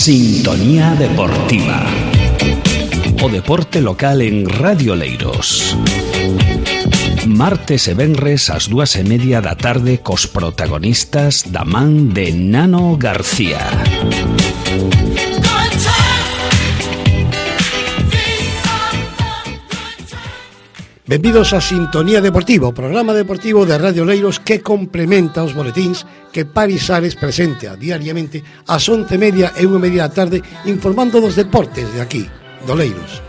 Sintonía Deportiva. O deporte local en Radio Oleiros. Martes e venres ás 2:30 da tarde cos protagonistas da man de Nano García. Benvidos a Sintonía Deportiva, o programa deportivo de Radio Oleiros que complementa os boletíns que Paris Ares presenta diariamente ás 11:30 e 1:30 da tarde, informando dos deportes de aquí, de Oleiros.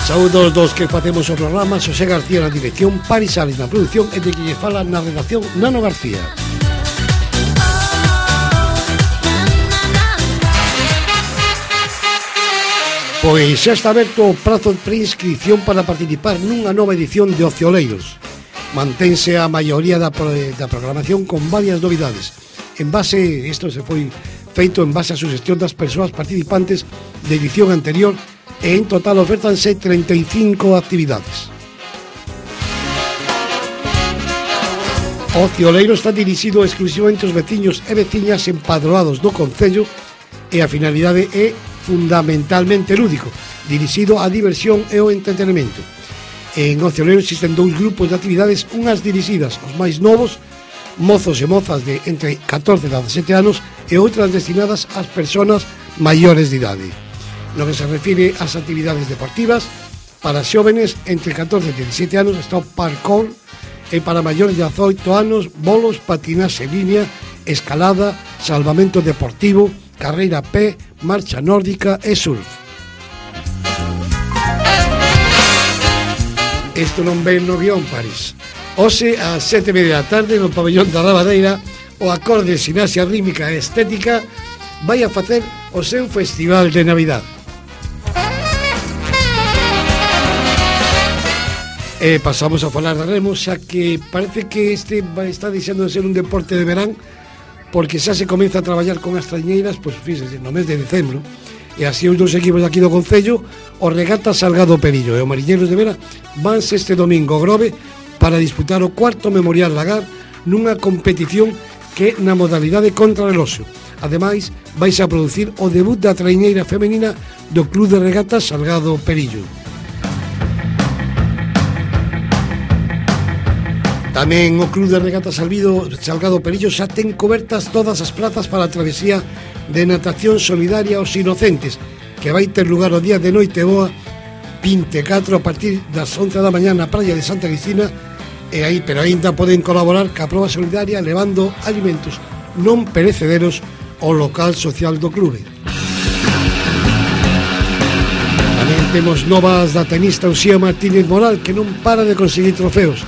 Saúdos dos que facemos o programa, Xosé García na dirección, Paris Ares na produción e de que lle fala na redacción Nano García. Pois xa está aberto o prazo de preinscripción para participar nunha nova edición de Ocio Oleiros. Mantense a maioría da programación con varias novidades. Isto se foi feito en base a sugestión das persoas participantes de edición anterior e en total ofértanse 35 actividades. Ocio Oleiros está dirixido exclusivamente aos veciños e veciñas empadroados do concello e a finalidade é fundamentalmente lúdico, dirixido á diversión e ao entretenimento. En Ocio Oleiros existen dous grupos de actividades, unhas dirixidas aos máis novos, mozos e mozas de entre 14 e 17 anos, e outras destinadas ás persoas maiores de idade. No que se refire ás actividades deportivas, para xóvenes entre 14 e 17 anos está o parkour, e para maiores de 18 anos, bolos, patinaxe en línea, escalada, salvamento deportivo, carreira a pé, marcha nórdica e surf. Isto non ven no guión, París. Hoxe, ás 7:30 da tarde, no pabellón da Rabadeira, o acorde Ximnasia Rítmica e Estética vai a facer o seu festival de Navidad. E pasamos a falar de remo, xa que parece que este está deixando de ser un deporte de verán, porque xa se comeza a traballar con as traiñeiras, pois fíxese, no mes de decembro, e así os dous equipos aquí do Concello, o Regata Salgado Perillo e o Mariñeiros de Vera, vanse este domingo ao Grove para disputar o cuarto Memorial Lagar nunha competición que na modalidade contrarreloxo. Ademais, vais a producir o debut da traiñeira femenina do Club de Regatas Salgado Perillo. Tamén o Club de Regatas Salgado Perillo xa ten cobertas todas as plazas para a travesía de natación solidaria aos inocentes, que vai ter lugar o día de noite boa 24 a partir das 11 da mañá na praia de Santa Cristina, pero aínda poden colaborar ca proba solidaria levando alimentos non perecederos ao local social do clube. Tamén temos novas da tenista Uxía Martínez Moral, que non para de conseguir trofeos.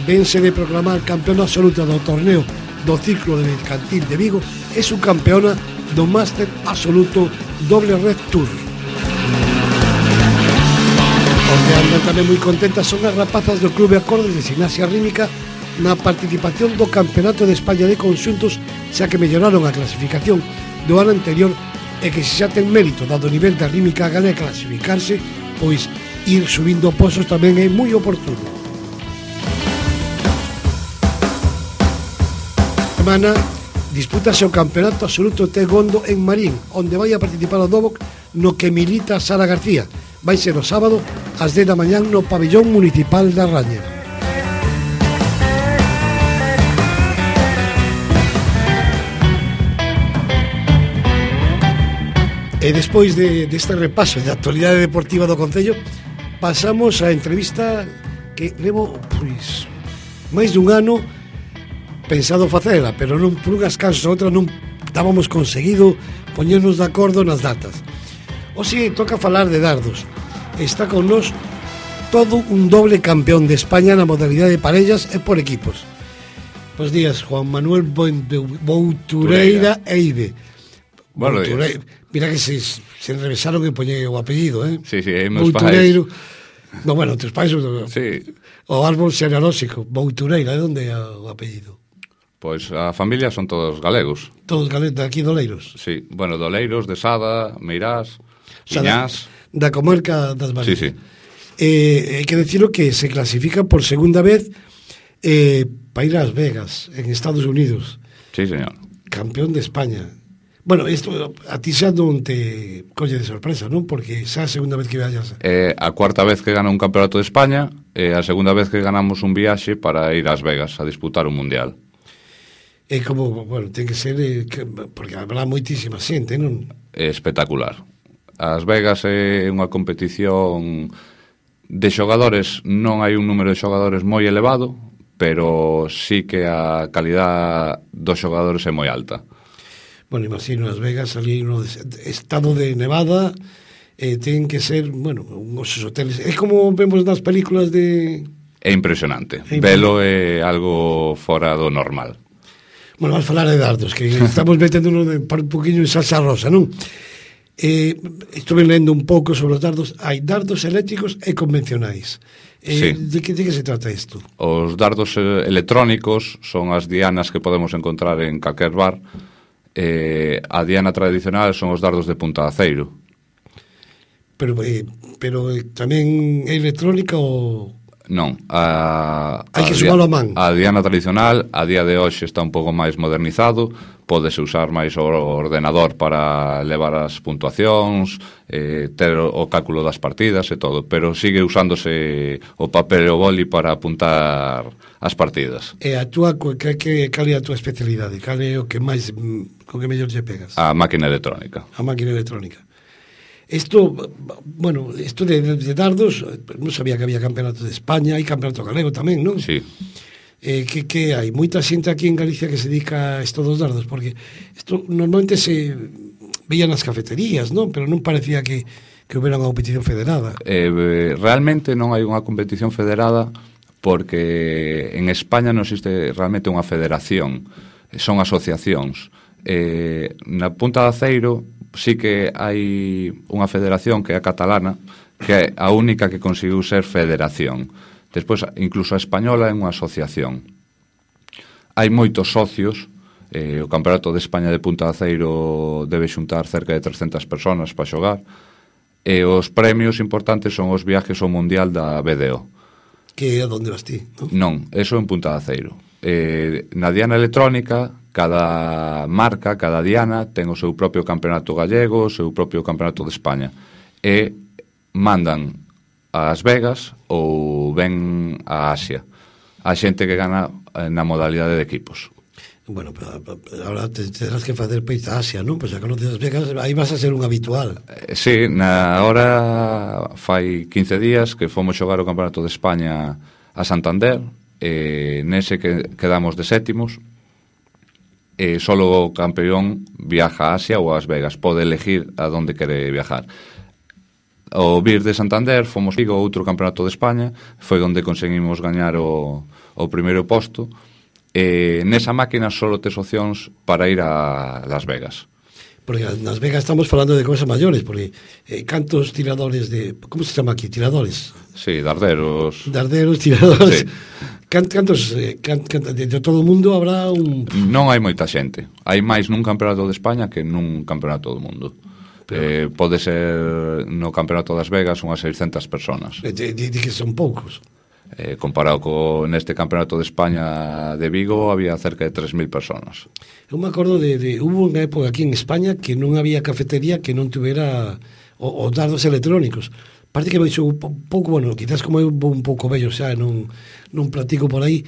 Vense de proclamar campeona absoluta do torneo do Círculo de Mercantil de Vigo e subcampeona do Máster Absoluto Doble Red Tour. Onde andan tamén moi contentas son as rapazas do Clube Acordes de Ximnasia Rítmica na participación do Campeonato de España de Conxuntos, xa que melloraron a clasificación do ano anterior e que se xa ten mérito dado o nivel da rítmica galega clasificarse, pois ir subindo posos tamén é moi oportuno. Semana dispútase o Campeonato Absoluto Taekwondo en Marín, onde vai a participar o Dobok, no que milita Sara García. Vai ser o sábado ás 10 da mañán no pabellón municipal da Raña. E despois deste repaso da actualidade deportiva do Concello, pasamos á entrevista que levo máis dun ano pensado facela, pero non por unhas causas ou outras non estábamos conseguido poñernos de acordo nas datas. Hoxe toca falar de dardos. Está con nós todo un doble campeón de España na modalidade de parellas e por equipos. Bos días, Juan Manuel Boutureira Eide. Bueno, mira que se revesaron que poñei o apellido, Sí, é meus pais. No, bueno, teus pais sí. O árbol xenealóxico, Boutureira, de onde é o apellido? Pois a familia son todos galegos. Todos galegos, de aquí de Oleiros? Sí, bueno, de Oleiros, de Sada, Meirás, Iñás. Da comarca das Marías. Sí. Hai que decirlo que se clasifica por segunda vez para ir a Las Vegas, en Estados Unidos. Sí, señor. campeón de España. Bueno, isto a ti xa non te colle de sorpresa, non? Porque xa a segunda vez que viaxas. A cuarta vez que gana un campeonato de España e a segunda vez que ganamos un viaxe para ir ás Vegas a disputar un mundial. É como, bueno, ten que ser porque habrá moitísima xente, non? É espectacular. As Vegas é unha competición de xogadores, non hai un número de xogadores moi elevado, pero sí que a calidad dos xogadores é moi alta. Bueno, imagino Las Vegas, ali no estado de Nevada, ten que ser, bueno, uns hoteles. É como vemos nas películas de... É impresionante. Velo é algo fora do normal. Bueno, vas falar de dardos, que estamos meténdonos un poquinho en salsa rosa, non? Estuve lendo un pouco sobre os dardos. Hai dardos eléctricos e convencionais. Sí. De que se trata isto? Os dardos electrónicos son as dianas que podemos encontrar en calquer bar. A diana tradicional son os dardos de punta de aceiro. Pero tamén é electrónica ou... Non, hai que sumalo a man. A diana tradicional a día de hoxe está un pouco máis modernizado, pódese usar máis o ordenador para levar as puntuacións, ter o cálculo das partidas e todo, pero sigue usándose o papel e o boli para apuntar as partidas. E a túa, cal é a túa especialidade? Cal é o que máis, con que mellor lle pegas? A máquina electrónica. A máquina electrónica. Isto, bueno, isto de dardos, non sabía que había campeonato de España, hai campeonato galego tamén, non? Sí. Que hai moita xente aquí en Galicia que se dedica a isto dos dardos, porque isto normalmente se veía nas cafeterías, non? Pero non parecía que houbera unha competición federada. Realmente non hai unha competición federada porque en España non existe realmente unha federación, son asociacións. Na Punta de Aceiro sí que hai unha federación que é a catalana, que é a única que conseguiu ser federación. Despois, incluso a española é unha asociación. Hai moitos socios, o Campeonato de España de Punta de Aceiro debe xuntar cerca de 300 personas para xogar, e os premios importantes son os viajes ao Mundial da BDO. Que é onde vas ti, non? Non, eso en Punta de Aceiro. Na diana electrónica, cada marca, cada diana ten o seu propio campeonato gallego, o seu propio campeonato de España, e mandan ás Vegas ou ven a Asia a xente que gana na modalidade de equipos. Bueno, pero ahora terás que facer peito a Asia, non? Pois a conoces Las Vegas, aí vas a ser un habitual. Sí, na hora fai 15 días que fomos xogar o campeonato de España a Santander, nese que quedamos de sétimos, e solo o campeón viaja a Asia ou a Las Vegas, pode elegir a donde quere viajar. O vir de Santander fomos Vigo, outro campeonato de España, foi onde conseguimos gañar o primeiro posto, e nesa máquina solo tes opcións para ir a Las Vegas. Porque nas Vegas estamos falando de cousas maiores, porque cantos tiradores de... Como se chama aquí? Tiradores? Sí, darderos. Darderos, tiradores. Sí. Cantos de todo o mundo habrá un... Non hai moita xente. Hai máis nun campeonato de España que nun campeonato do mundo. Pode ser no campeonato das Vegas unhas 600 personas. Di que son poucos. Comparado neste campeonato de España de Vigo había cerca de 3.000 personas. Eu me acordo hubo unha época aquí en España que non había cafetería que non tuvera os dardos electrónicos. Parte que baixou un pouco, bueno, quizás como eu vou un pouco vello xa, non platico por aí,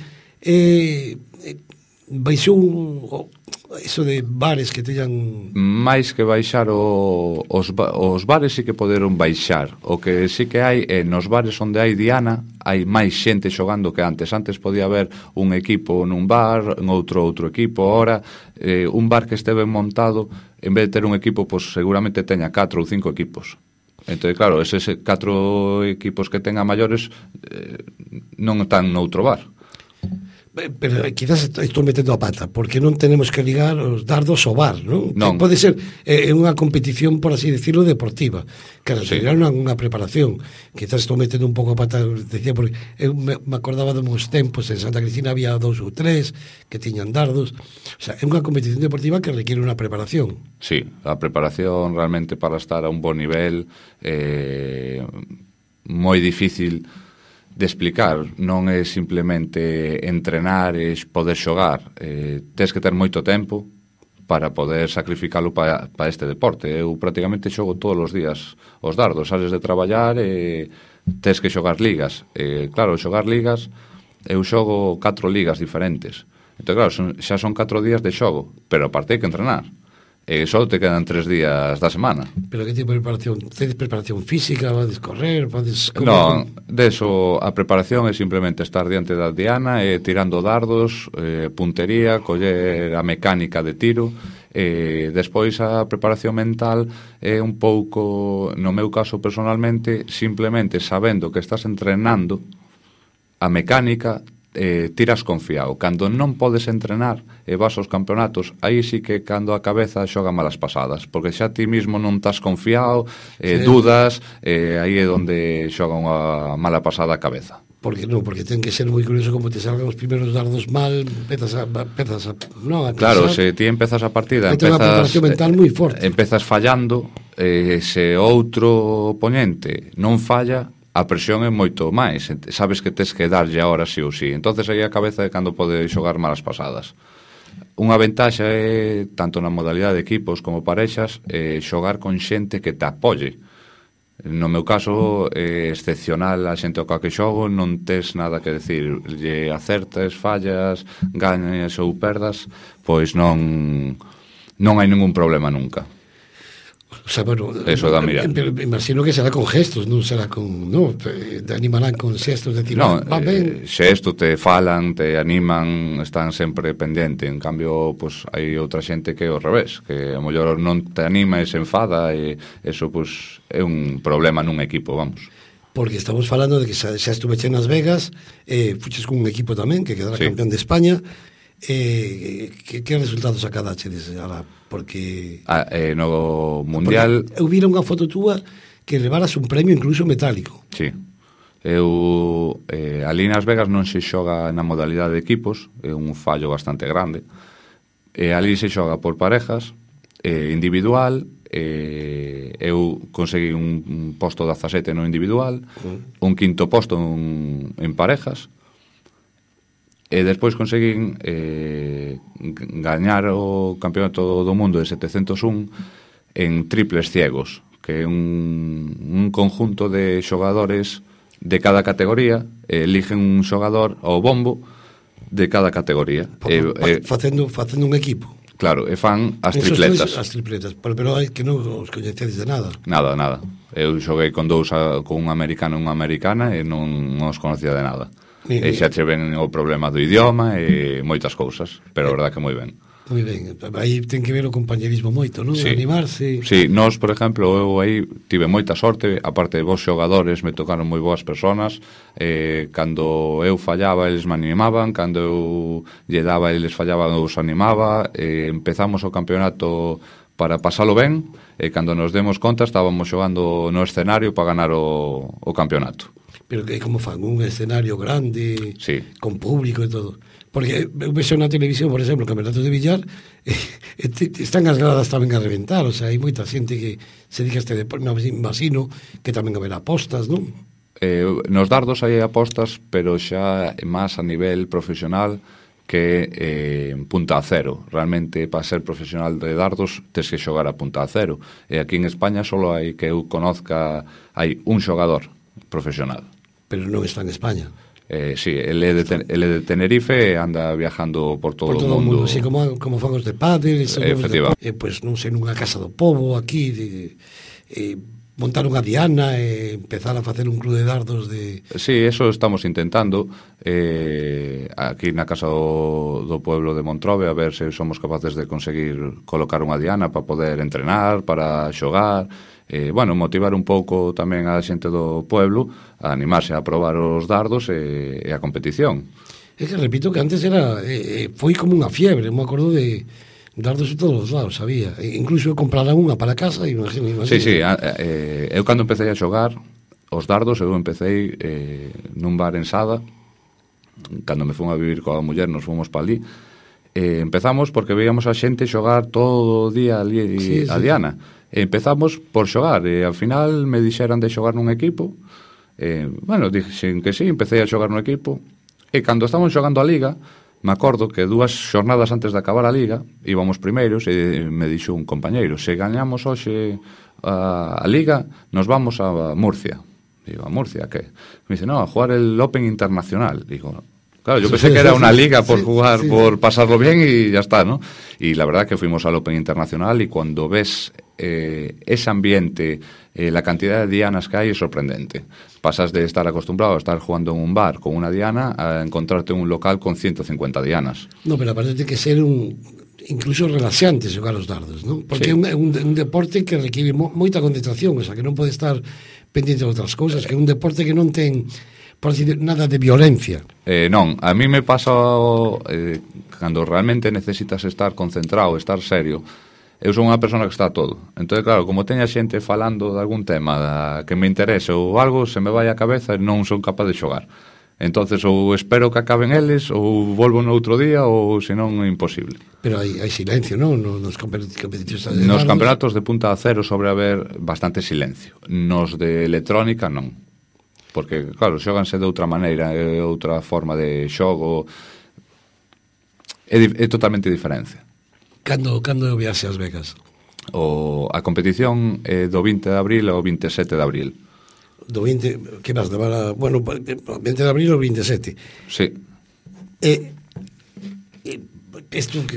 baixou eso de bares que teñan... máis que baixar os bares sí que poderon baixar. O que sí que hai nos bares onde hai diana, hai máis xente xogando que antes. Antes podía haber un equipo nun bar, en outro equipo. Ahora, un bar que este ben montado, en vez de ter un equipo, pues seguramente teña 4 ou 5 equipos. Entón, claro, eses 4 equipos que tenga maiores non están noutro bar. Pero quizás estou metendo a pata, porque non tenemos que ligar os dardos ao bar, non? Non. Pode ser unha competición, por así decirlo, deportiva, que sí. Sería unha preparación. Quizás estou metendo un pouco a pata, decía, porque eu me acordaba de meus tempos, en Santa Cristina había 2 ou 3 que tiñan dardos. O sea, é unha competición deportiva que requiere unha preparación. Sí, a preparación realmente para estar a un bon nivel moi difícil de explicar, non é simplemente entrenar e poder xogar, tes que ter moito tempo, para poder sacrificalo para este deporte. Eu prácticamente xogo todos os días os dardos, sales de traballar e tes que xogar ligas. Claro, xogar ligas, eu xogo 4 ligas diferentes. Entón, claro, xa son 4 días de xogo, pero aparte hai que entrenar. Só te quedan 3 días da semana. Pero que tipo de preparación? Tedes preparación física? Vades correr? Vades... Non, deso a preparación é simplemente estar diante da diana tirando dardos, puntería, coller a mecánica de tiro. Despois a preparación mental é un pouco, no meu caso personalmente, simplemente sabendo que estás entrenando a mecánica, tiras confiado. Cando non podes entrenar e vas aos campeonatos, aí sí que cando a cabeza xoga malas pasadas, porque xa ti mismo non estás confiado, dudas, aí é onde xoga unha mala pasada a cabeza. Porque non, porque ten que ser moi curioso como te salgan os primeros dardos mal, empezas a non, a claro, pensar. se ti empezas a partida, Empezas unha preparación mental moi forte. Empezas fallando, se outro oponente non falla, a presión é moito máis, sabes que tes que darlle ahora sí ou sí, entonces aí a cabeza é cando pode xogar malas pasadas. Unha ventaxa é, tanto na modalidade de equipos como parexas, xogar con xente que te apoye. No meu caso, é excepcional a xente coa que xogo, non tes nada que decir, lle acertes, fallas, gañas ou perdas, pois non hai ningún problema nunca. O sea, bueno, eso dá mirar. Pero imagino que será con gestos, non será con, no, te animarán con xestos, decir, no, va ben. Xestos te falan, te animan, están sempre pendente. En cambio, pues hai outra xente que é ao revés, que a mellor non te anima e se enfada, e eso pues é un problema nun equipo, vamos. Porque estamos falando de que xa estuve en Las Vegas, fuches con un equipo tamén que quedara campeón de España. Que resultados acadachedes ahora? Porque no Mundial eu vira unha foto túa que levaras un premio incluso metálico. Sí. Eu ali nas Vegas non se xoga na modalidade de equipos, é un fallo bastante grande. Ali se xoga por parejas, individual, eu consegui un posto 17 no individual, un quinto posto en parejas, e despois conseguín gañar o campeonato do mundo de 701 en triples ciegos, que é un conjunto de xogadores de cada categoría, eligen un xogador ao bombo de cada categoría. Facendo un equipo. Claro, e fan as tripletas. As tripletas, pero hai que non os coñecedes de nada. Nada. Eu xoguei con con un americano e unha americana e non os conocía de nada. E xa che ven o problema do idioma e moitas cousas, pero a verdad que moi ben. Moi ben, aí ten que ver o compañerismo moito, non? Sí. Animarse. Sí, nós, por exemplo, eu aí tive moita sorte, aparte de vos xogadores, me tocaron moi boas personas, cando eu fallaba, eles me animaban, cando eu lle daba, eles fallaban, eu os animaba, empezamos o campeonato para pasalo ben, e cando nos demos conta estábamos xogando no escenario para ganar o campeonato. Pero que como fan, un escenario grande, sí, con público e todo. Porque eu vexo na televisión, por exemplo, campeonatos de billar, están as gradas tamén a reventar, o sea, hai moita xente que se dedica a este deporte, imagino que tamén haberá apostas, non? Nos dardos hai apostas, pero xa máis a nivel profesional que punta a cero. Realmente, para ser profesional de dardos, tes que xogar a punta a cero. E aquí en España solo hai, que eu conozca, hai un xogador profesional. Pero non está en España. Sí, ele é de Tenerife e anda viajando por todo o mundo. Sí, como fan os de pádel, efectivamente. Pues non sei, nunha casa do pobo aquí, montar unha diana e empezar a facer un club de dardos de... Sí, eso estamos intentando aquí na casa do pueblo de Montrobe, a ver se somos capaces de conseguir colocar unha diana para poder entrenar, para xogar, motivar un pouco tamén a xente do pueblo a animarse a probar os dardos e a competición. É que repito que antes era foi como unha fiebre, me acordo de dardos de todos os lados, sabía. Incluso comprara unha para casa, imagino. Sí, eu cando empecé a xogar os dardos, eu empecé nun bar en Sada, cando me fun a vivir coa muller, nos fomos para ali, empezamos porque veíamos a xente xogar todo o día ali a diana. Empezamos por xogar e ao final me dixeran de xogar nun equipo, dixen que sí, empecé a xogar nun equipo, e cando estamos xogando a liga, me acordo que 2 xornadas antes de acabar a Liga íbamos primeiros e me dixo un compañeiro: se gañamos hoxe a Liga, nos vamos a Murcia. Digo, ¿a Murcia qué? Me dice, no, a jugar el Open Internacional. Digo, claro, yo pensé que era una liga por jugar, por pasarlo bien y ya está, ¿no? Y la verdad que fuimos al Open Internacional y cuando ves ese ambiente, la cantidad de dianas que hay es sorprendente. Pasas de estar acostumbrado a estar jugando en un bar con una diana a encontrarte en un local con 150 dianas. No, pero aparte de que ser incluso relaxante xogar os dardos, non? Porque é un deporte que requiere moita concentración, o sea, que non pode estar pendiente de outras cousas, que é un deporte que non ten, por decir, nada de violencia. Non, a mí me pasa cando realmente necesitas estar concentrado, estar serio. Eu son unha persona que está a todo. Entón, claro, como teña xente falando de algún tema que me interese ou algo, se me vai a cabeza e non son capaz de xogar. Entonces, ou espero que acaben eles, ou volvo no outro día, ou senón é imposible. Pero hai silencio, non? Nos competitivos de nos campeonatos de punta a cero sobre haber bastante silencio. Nos de electrónica, non. Porque, claro, xóganse de outra maneira, é outra forma de xogo, é totalmente diferente. Cando o viaxe ás Vegas? A competición é do 20 de abril ao 27 de abril. Do 20, que vas levar a... Bueno, 20 de abril ou 27? Sí.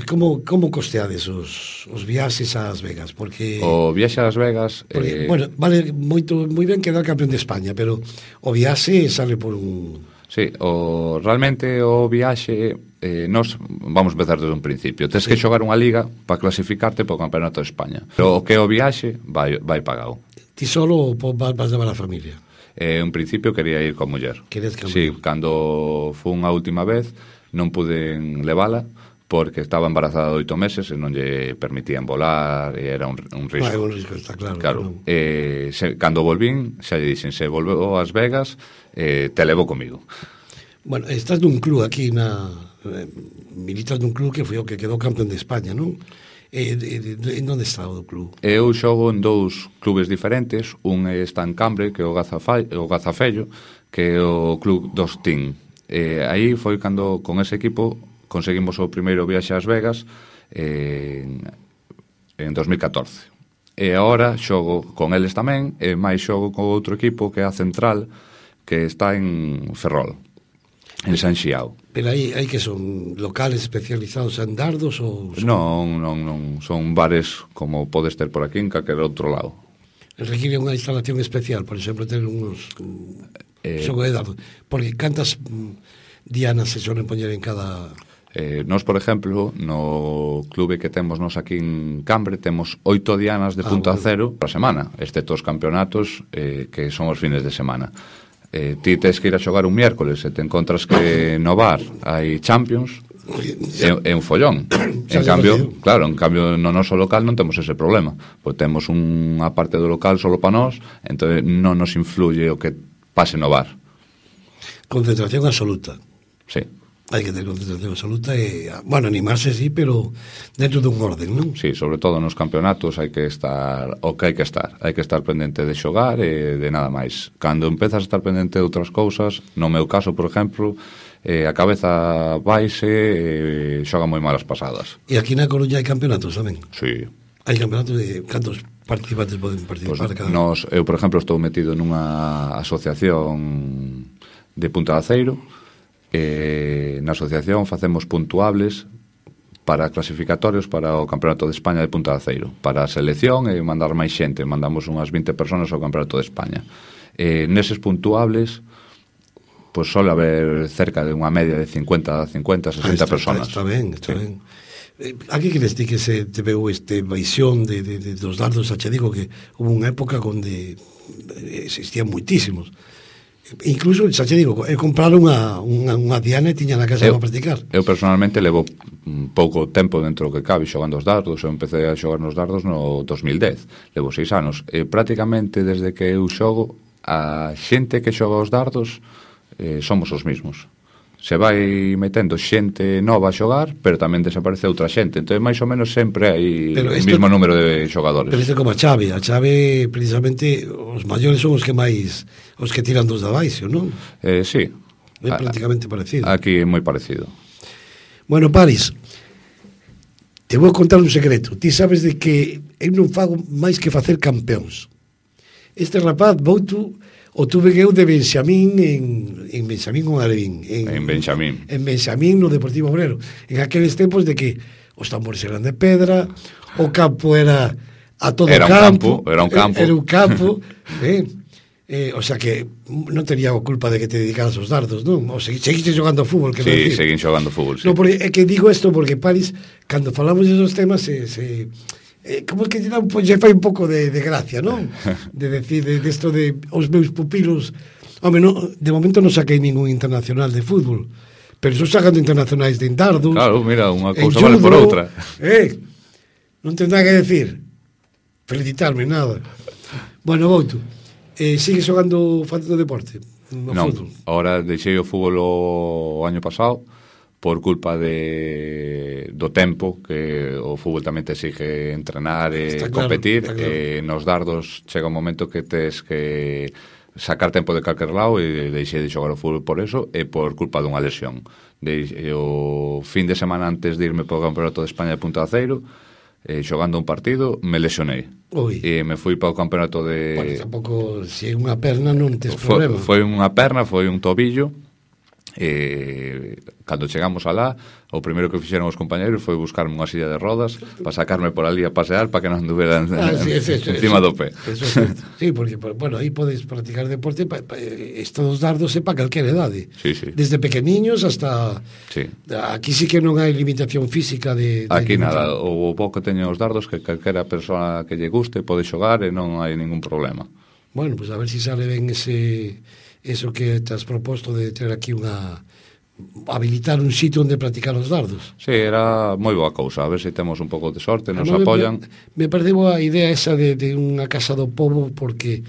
Como costeades os viaxes ás Vegas? Porque... O viaxe ás Vegas... bueno, vale moi ben quedar campeón de España, pero o viaxe sale por un... Sí, realmente o viaxe nos vamos empezar desde un principio. Tens que xogar unha liga para clasificarte para o Campeonato de España. Pero o que o viaxe vai pagado. Ti solo vas levar a familia? En principio quería ir con muller. Sí, cando fun a última vez non pude levala porque estaba embarazada de 8 meses e non lle permitían volar e era un risco. É un risco, está claro. Cando volvín, xa lle dixen, se volveu ás Vegas, te levo comigo. Bueno, estás dun club aquí militas dun club que foi o que quedou campeón de España, non? En onde está o club? Eu xogo en 2 clubes diferentes. Un está en Cambre, que é o Gazafello, que é o club dos Team. Aí foi cando con ese equipo conseguimos o primeiro viaxe ás Vegas en 2014. E agora xogo con eles tamén, e máis xogo con outro equipo que é a Central, que está en Ferrol, en San Xiao. Pero aí que son locales especializados en dardos ou... Non, son bares como podes ter por aquí en calquer outro lado. Requiere unha instalación especial, por exemplo, ter unos xogo de dardos, porque cantas dianas se solen poñer en cada... Nos, por exemplo, no clube que temos nos aquí en Cambre, temos 8 dianas de punta a cero para semana, excepto os campeonatos que son os fines de semana. Ti tes que ir a xogar un miércoles e te encontras que no bar hai Champions, é un follón. En cambio no noso local non temos ese problema, pois temos unha parte do local solo para nós, entón non nos influye o que pase no bar. Concentración absoluta. Sí. Hai que ter concentración absoluta e, bueno, animarse sí, pero dentro dun orden, non? Sí, sobre todo nos campeonatos hai que estar o que hai que estar pendente de xogar e de nada máis. Cando empezas a estar pendente de outras cousas, no meu caso, por exemplo, a cabeza vaise e xoga moi malas pasadas. E aquí na Coruña hai campeonatos tamén? Sí. Hai campeonatos de cantos participantes poden participar cada un? Eu, por exemplo, estou metido nunha asociación de Punta de Aceiro. Na asociación facemos puntuables para clasificatorios para o Campeonato de España de Punta de Aceiro, para a selección e mandar máis xente. Mandamos unhas 20 personas ao Campeonato de España. Neses puntuables pois sole haber cerca de unha media de 50, 60 personas. Está ben. A que queres ti que se te veu baixón dos dardos? Xa digo que hubo unha época onde existían moitísimos. Incluso, xa te digo, comprar unha diana e tiña na casa para practicar. Eu personalmente levo pouco tempo dentro do que cabe xogando os dardos. Eu empecé a xogar nos dardos no 2010. Levo 6 anos. Prácticamente desde que eu xogo, a xente que xoga os dardos somos os mismos. Se vai metendo xente nova a xogar, pero tamén desaparece outra xente. Entón, máis ou menos sempre hai o mismo número de xogadores. Pero isto como a chave precisamente os maiores son os que tiran dos de abaixo, non? Sí. É prácticamente parecido. Aquí é moi parecido. Bueno, Paris, te vou contar un secreto. Ti sabes de que eu non fago máis que facer campeóns. Este rapaz, Bouto, o tuve eu de Benxamín en Benxamín con Alevín. En Benxamín. En Benxamín, no Deportivo Obrero. En aqueles tempos de que os tambores eran de pedra, o campo era a todo era campo. Era un campo. Era un campo. O sea que non tenía a culpa de que te dedicaras aos dardos, non? O seguiste jogando fútbol, que sí, seguín xogando fútbol, sí. No, porque é que digo isto porque, Paris, cando falamos desos temas como que lle fai un pouco de gracia, non? De decir, de esto de os meus pupilos. Home, no, de momento non saquei ningún internacional de fútbol, pero estou sacando internacionais de dardos. Claro, mira, unha cousa vale por outra. Non ten nada que decir. Felicitarme, nada. Bueno, Bouto, sigues facendo deporte? Non, ahora deixei o fútbol o año pasado por culpa do tempo, que o fútbol tamén te exige entrenar e competir, claro. Nos dardos chega un momento que tes que sacar tempo de calquer lado, e deixei de xogar o fútbol por eso e por culpa dunha lesión. O fin de semana antes de irme para o Campeonato de España de Punta de Aceiro, xogando un partido, me lesionei. E me fui para o campeonato de... Bueno, tampouco, se é unha perna non tes problema. Foi unha perna, foi un tobillo. Cando chegamos alá, o primeiro que fixeron os compañeros foi buscarme unha silla de rodas para sacarme por ali a pasear para que non anduveran encima do pé. Eso sí, porque, bueno, aí podes practicar deporte estos dardos é para calquera idade. Sí, sí. Desde pequeniños hasta... Sí. Aquí sí que non hai limitación física de aquí nada, o pouco teñen os dardos que calquera persoa que lle guste pode xogar e non hai ningún problema. Bueno, pues a ver si sale ben eso que te has proposto de ter aquí habilitar un sitio onde practicar os dardos. Sí, era moi boa cousa, a ver se temos un pouco de sorte, nos apoian. Me perdeu a idea esa de unha casa do pobo, porque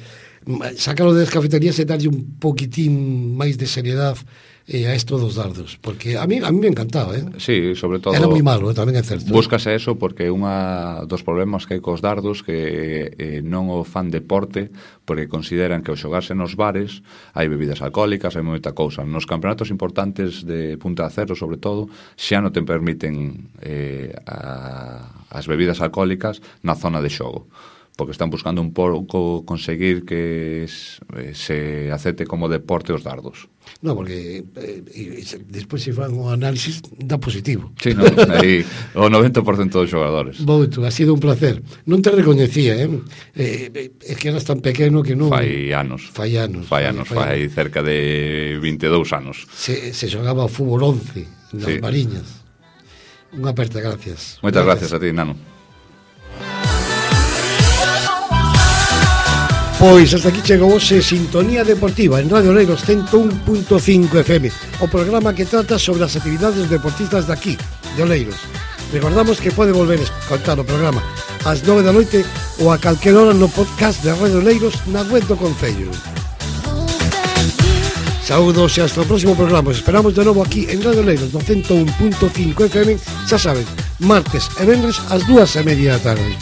sacarlo das cafeterías e darlle un poquitín máis de seriedade a esto dos dardos, porque a mí me encantaba, Sí, sobre todo... Era moi malo, tamén é certo. Búscase eso porque unha dos problemas que hai cos dardos que non o fan deporte porque consideran que ao xogarse nos bares hai bebidas alcohólicas, hai moita cousa. Nos campeonatos importantes de Punta de Aceiro, sobre todo, xa non te permiten as bebidas alcohólicas na zona de xogo, porque están buscando un pouco conseguir que se acepte como deporte os dardos. No, porque despois se fan o análisis dá positivo. Sí, no, aí o 90% dos xogadores. Bouto, ha sido un placer. Non te recoñecía, é que eras tan pequeno que non... Fai anos, cerca de 22 anos. Se xogaba o fútbol 11 nas Mariñas. Unha aperta, gracias. Moitas gracias a ti, Nano. Pois hasta aquí chegou hoxe Sintonía Deportiva en Radio Oleiros 101.5 FM, o programa que trata sobre as actividades deportistas de aquí, de Oleiros. Recordamos que pode volver a escoitar o programa ás 9 da noite ou a calquer hora no podcast de Radio Oleiros na web do Concello. Saúdos e hasta o próximo programa. Os esperamos de novo aquí en Radio Oleiros no 101.5 FM, xa saben, martes e venres ás 2:30 da tarde.